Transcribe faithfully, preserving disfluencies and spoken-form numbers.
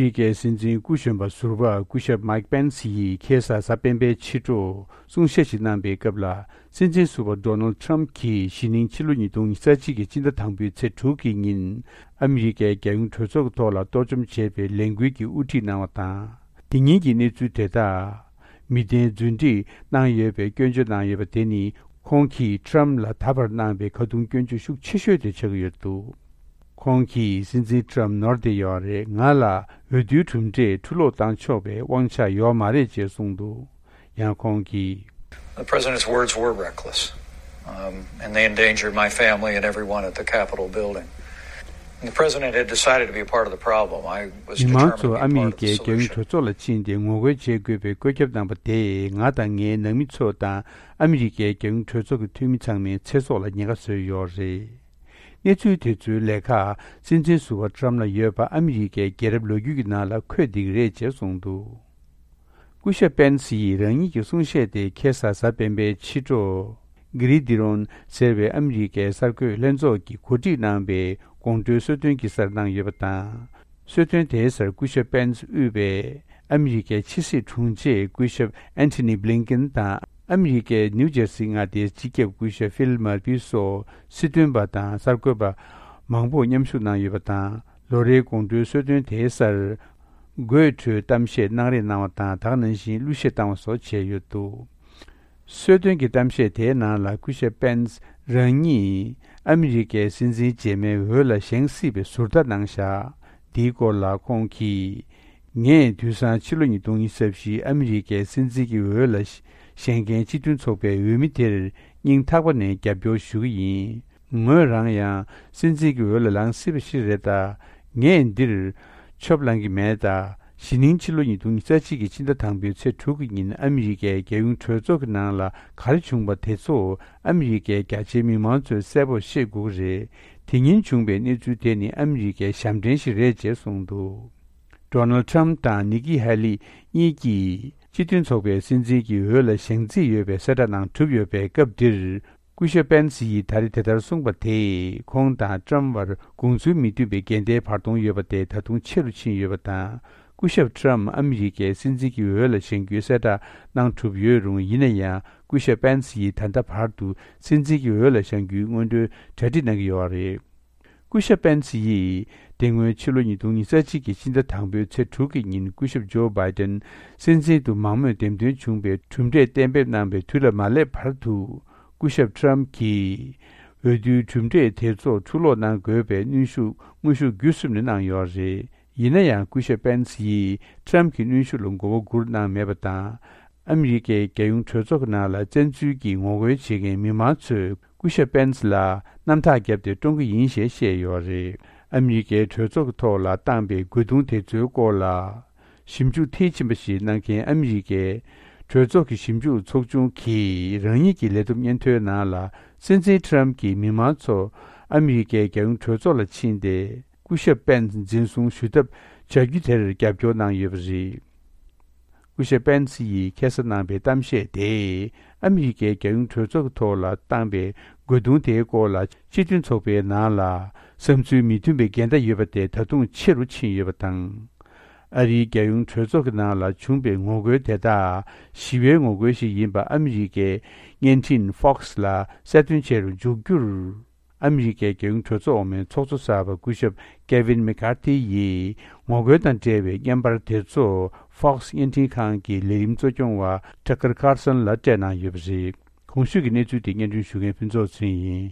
ཨ་མི་རི་ཀའི་སྲིད་འཛིན་སྐུ་གཞོན་པ་ཟུར་པ་སྐུ་ཞབས་མཱིག་པེན་སི་ཡིས་ཁ་སང་གཟའ་སྤེན་པའི་ཕྱི་དྲོ་གསུང་བཤད་ཞིག་གནང་པའི་སྐབས་ལ། སྲིད་འཛིན་ཟུར་པ་ཌོ་ནལ་ཌི་ཊརམ་ཕི་གྱིས་གཞེས་ནིང་ཕྱི་ལོ་ཉིས་སྟོང་ཉི་ཤུ་རྩ་གཅིག་གི་སྤྱི་ཟླ་དང་པོའི་ཚེས་དྲུག་གི་ཉིན་ཨ་མི་རི་ཀའི་རྒྱལ་ཡོངས་གྲོས་ཚོགས་ཀྱི་ཐོག་ལ་གཏོར་བཅོམ་བྱས་པའི་ལས་འགུལ་གྱི་དབུ་ཁྲིད་གནང་བ་དང་། དེ་ཉིན་གྱི་གནས་ཚུལ་དེ་དག་མི་བདེན་རྫུན་སྒྲིག་གནང་ཡོད་པའི་སྐྱོན་བརྗོད་གནང་ཡོད་པ་དེ་ནི། ཁོང་གིས་ཊརམ་ལ་ད་བར་གནང་པའི་ཁ་རྡུང་སྐྱོན་བརྗོད་ཤུགས་ཆེ་ཤོས་དེ་ཆགས་ཀྱི་ཡོད་འདུག་ཁོང་གིས་སྲིད་འཛིན་ཊརམ་ནོར་བསྡད་ཡོད་རེད། ང་ལ་འོས་བསྡུའི་གྲུབ་འབྲས་ཕྱིར་སློག་བཏང་ཆོག་པའི་དབང་ཆ་ཡོད་མ་རེད་ཅེས་གསུངས་འདུག་ཡང་ཁོང་གིས། The president's words were reckless, um, and they endangered my family and everyone at the Capitol building. And the president had decided to be a part of the problem. I was determined to be a part of the solution. མི་མང་ཚོ་ཨ་མི་རི་ཀའི་རྒྱལ་ཡོངས་གྲོས་ཚོགས་ལ་ཕྱིན་ཏེ་ངོ་རྒོལ་བྱེད་དགོས་པའི་བཀོད་ཁྱབ་གནང་པ་དེས་ང་དང་ངའི་ནང་མི་ཚོ་དང་ཨ་མི་རི་ཀའི་རྒྱལ་ཡོངས་གྲོས་ཚོགས་ཀྱི་འཐུས་མི་ཚང་མའི་ཚེ་སྲོག་ལ་ཉེན་ཁ་བཟོས་ཡོད་རེད། གནས་ཚུལ་དེ་ཚོའི་ལས་ཀ་སྲིད་འཛིན་ཟུར་པ་ཊརམ་ལ་ཡོད་པ་ཨ་མི་རི་ཀའི་རྒྱལ་རབས་ལོ་རྒྱུས་ཀྱི་ནང་ལ་འཁོད་བསྡད་ཀྱི་རེད་ཅེས་གསུངས་འདུག་སྐུ་ཞབས་པེན་སི་ཡིས་རང་ཉིད་ཀྱི་གསུང་བཤད་དེ་ཁ་སང་གཟའ་སྤེན་པའི་ཕྱི་དྲོ། གྷི་རི་དི་རོན་ཟེར་བའི་ཨ་མི་རི་ཀའི་གསར་འགོད་ལྷན་ཚོགས་ཀྱིས་གོ་སྒྲིག་གནང་པའི་དགོང་དྲོའི་གསོལ་སྟོན་གྱི་སར་གནང་ཡོད་པ་དང་། གསོལ་སྟོན་དེའི་སར་སྐུ་ཞབས་པེན་སི་དབུས་པའི་ཨ་མི་རི་ཀའི་ཕྱི་སྲིད་དྲུང་ཆེ་སྐུ་ཞབས་ཨན་ཐི་ནི་བྷི་ལིན་ཀིན་དང་། ཨ་མི་རི་ཀའི་ནིའུ་ཇར་སི་མངའ་སྡེའི་སྤྱི་ཁྱབ་སྐུ་ཞབས་ཕིལ་མར་ཕི་སོགས་སྲིད་དོན་པ་དང་གསར་འགོད་པ་མང་པོ་མཉམ་ཞུགས་གནང་ཡོད་པ་དང་། ལོ་རེའི་དགོང་དྲོའི་གསོལ་སྟོན་དེའི་སར། དགོད་བྲོའི་གཏམ་བཤད་གནང་རེས་གནང་བ་དང་། ད་ག་ནང་བཞིན་གླུ་གཞས་བཏང་བ་སོགས་བྱས་ཡོད་འདུག་གསོལ་སྟོན་གྱི་གཏམ་བཤད་དེའི་ནང་ལ་སྐུ་ཞབས་པེན་སི་རང་ཉིད་ཨ་མི་རི་ཀའི་སྲིད་འཛིན་རྗེས་མའི་འོས་ལ་བཞེངས་སྲིད་པའི་ཟུར་ལྟ་གནང་བཞག་འདིའི་སྐོར་ལ་ཁོང་གིས། ངས་དུས་སང་ཕྱི་ལོ་ཉིས་སྟོང་ཉི་ཤུ་རྩ་བཞིའི་ཨ་མི་རི་ཀའི་སྲིད་འཛིན་གྱི་འོས་ལ་བཞེངས་མཁན་སྤྱི་མཐུན་ཚོགས་པའི་འོས་མི་དེར་སྙིང་ཐག་པ་ནས་རྒྱབ་སྐྱོར་ཞུ་གི་ཡིན། ངོས་རང་ཡང་སྲིད་འཛིན་གྱི་འོས་ལ་ལངས་སྲིད་པ་ཞིག་རེད་ད། ངས་འདིར་ཆོབ་ལངས་ཀྱི་མེད་ད། གཞེས་ནིང་ཕྱི་ལོ་ཉིས་སྟོང་ཉི་ཤུ་རྩ་གཅིག་གི་ཕྱི་ཟླ་དང་པོའི་ཚེས་དྲུག་གི་ཉིན་ཨ་མི་རི་ཀའི་རྒྱལ་ཡོངས་གྲོས་ཚོགས་ཀྱི་ནང་ལ་ག་རེ་བྱུང་པ་དེ་ཚོ་ཨ་མི་རི་ཀའི་རྒྱ་ཆེའི་མི་མང་ཚོས་གསལ་པོར་ཤེས་དགོས་ཀྱི་རེད། དེ་ཉིན་བྱུང་པའི་གནས་ཚུལ་དེ་ནི་ཨ་མི་རི་ཀའི་ཞབས་འདྲེན་ཞིག་རེད་ཅེས་གསུངས་འདུག་ཌོ་ནལ་ཌི་ཊརམ་ཕི་དང་ནིག་ཀི་ཧེ་ལི་གཉིས་ཀྱིས་སྤྱི་མཐུན་ཚོགས་པའི་སྲིད་འཛིན་གྱི་འོས་ལ་བཞེངས་རྩིས་ཡོད་པའི་གསལ་བསྒྲགས་གནང་གྲུབ་ཡོད་པའི་སྐབས་འདིར། སྐུ་ཞབས་པེན་སི་ཡིས་ད་རེས་དེ་ལྟར་གསུངས་པ་དེས་ཁོང་དང་ཊརམ་ཕི་བར་དགོངས་ཚུལ་མི་མཐུན་པའི་འགལ་ཟླའི་བར་སྟོང་ཡོད་པ་དེ་ད་དུང་ཆེ་རུ་ཕྱིན་ཡོད་པ་དང་། སྐུ་ཞབས་ཊརམ་ཕི་ཨ་མི་རི་ཀའི་སྲིད་འཛིན་གྱི་འོས་ལ་བཞེངས་རྒྱུའི་གསལ་བསྒྲགས་གནང་གྲུབ་ཡོད་རུང་། ཡིན་ན་ཡང་སྐུ་ཞབས་པེན་སི་ཡིས་ད་ལྟ་བར་དུ་སྲིད་འཛིན་གྱི་འོས་ལ་བཞེངས་རྒྱུའི་སྔོན་འགྲོའི་གྲ་སྒྲིག་གནང་གི་ཡོད་པ་རེད། སྐུ་ཞབས་པེན་སི་ཡིས་དེ་སྔོན་ཕྱི་ལོ་ཉིས་སྟོང་ཉི་ཤུ་རྩ་གཅིག་གི་ཕྱི་ཟླ་དང་པོའི་ཚེས་དྲུག་གི་ཉིན་སྐུ་ཞབས་ཇོ་བྷའི་ཏན་སྲིད་འཛིན་དུ་མང་མོས་འདེམས་ཐོན་བྱུང་བའི་གྲུབ་འབྲས་གཏན་འབེབས་གནང་བའི་དུས་ལ་མ་སླེབས་བར་དུ། སྐུ་ཞབས་ཊརམ་ཕི་གྱིས་འོས་བསྡུའི་གྲུབ་འབྲས་དེ་ཚོ་ཕྱིར་སློག་གནང་དགོས་པའི་གནོན་ཤུགས་དངོས་ཤུགས་བརྒྱུད་གསུམ་ནས་གནང་ཡོད་རེད། ཡིན་ན་ཡང་སྐུ་ཞབས་པེན་སི་ཡིས་ཊརམ་ཕི་གྱི་གནོན་ཤུགས་ལ་མགོ་བོ་སྒུར་གནང་མེད་པ་དང་། ཨ་མི་རི་ཀའི་རྒྱལ་ཡོངས་གྲོས་ཚོགས་ཀྱི་ནང་ལ་བཙན་འཛུལ་གྱིས་ངོ་རྒོལ་བྱེད་མཁན་མི་མང་ཚོས་སྐུ་ཞབས་པེན་སི་ལ་གནམ་ཐག་བརྒྱབ་སྟེ་བཀྲོངས་ཀྱི་ཡིན་ཞེས་བཤད་ཡོད་རེད། ཨ་མི་རི་ཀའི་གྲོས་ཚོགས་ཀྱི་ཐོག་ལ་བཏང་པའི་རྒོལ་རྡུང་དེ་ཚོའི་སྐོར་ལ། ཞིབ་འཇུག་མཐིལ་ཕྱིན་པ་ཞིག་གནང་མཁན་ཨ་མི་རི་ཀའི་གྲོས་ཚོགས་ཀྱི་ཞིབ་འཇུག་ཚོགས་ཆུང་གིས་རང་ཉིད་ཀྱི་ལས་བསྡོམས་སྙན་ཐོའི་ནང་ལ། སྲིད་འཛིན་ཊརམ་ཕི་གྱིས་མི་མང་ཚོ་ཨ་མི་རི་ཀའི་རྒྱལ་ཡོངས་གྲོས་ཚོགས་ལ་ཕྱིན་ཏེ། སྐུ་ཞབས་པེན་སི་འཛིན་བཟུང་ཞུ་ཐབས་བྱ་རྒྱུ་དེར་རྒྱབ་སྐྱོར་གནང་ཡོད་པ་རེད། སྐུ་ཞབས་པེན་སི་ཡིས་ཁ་སང་གནང་པའི་གཏམ་བཤད་དེས་ཨ་མི་རི་ཀའི་རྒྱལ་ཡོངས་གྲོས་ཚོགས་ཀྱི་ཐོག་ལ་བཏང་པའི་རྒོལ་རྡུང་དེའི་སྐོར་ལ་སྤྱི་མཐུན་ཚོགས་པའི་ནང་ལ་བསམ་ཚུལ་མི་མཐུན་པའི་འགལ་ཟླ་ཡོད་པ་དེ་ད་དུང་ཆེ་རུ་ཕྱིན་ཡོད་པ་དང་། ཨ་རིའི་རྒྱལ་ཡོངས་གྲོས་ཚོགས་ཀྱི་ནང་ལ་བྱུང་པའི་ངོ་རྒོལ་དེ་དག་ཞི་བའི་ངོ་རྒོལ་ཞིག་ཡིན་པ་ཨ་མི་རི་ཀའི་བརྙན་འཕྲིན་Fox་ལ་གསལ་སྟོན་བྱེད་རུ་འཇུག་རྒྱུར། ཨ་མི་རི་ཀའི་རྒྱལ་ཡོངས་གྲོས་ཚོགས་འོག་མའི་ཚོགས་གཙོ་གསར་པ་སྐུ་ཞབས་ཀེ་ཝིན་མེ་ཀར་ཐི་ཡིས་ངོ་རྒོལ་དང་འབྲེལ་བའི་བརྙན་པར་དེ་ཚོ་Fox་བརྙན་འཕྲིན་ཁང་གི་ལས་རིམ་གཙོ་སྐྱོང་བ་Tucker Carlson་ལ་སྤྲད་གནང་ཡོད་པ་རེད། གོང་ཞུས་ཀྱི་གནས་ཚུལ་དེ་སྙན་སྒྲོན་ཞུ་མཁན་ཕུན་ཚོགས་ཚུན་ཡིན།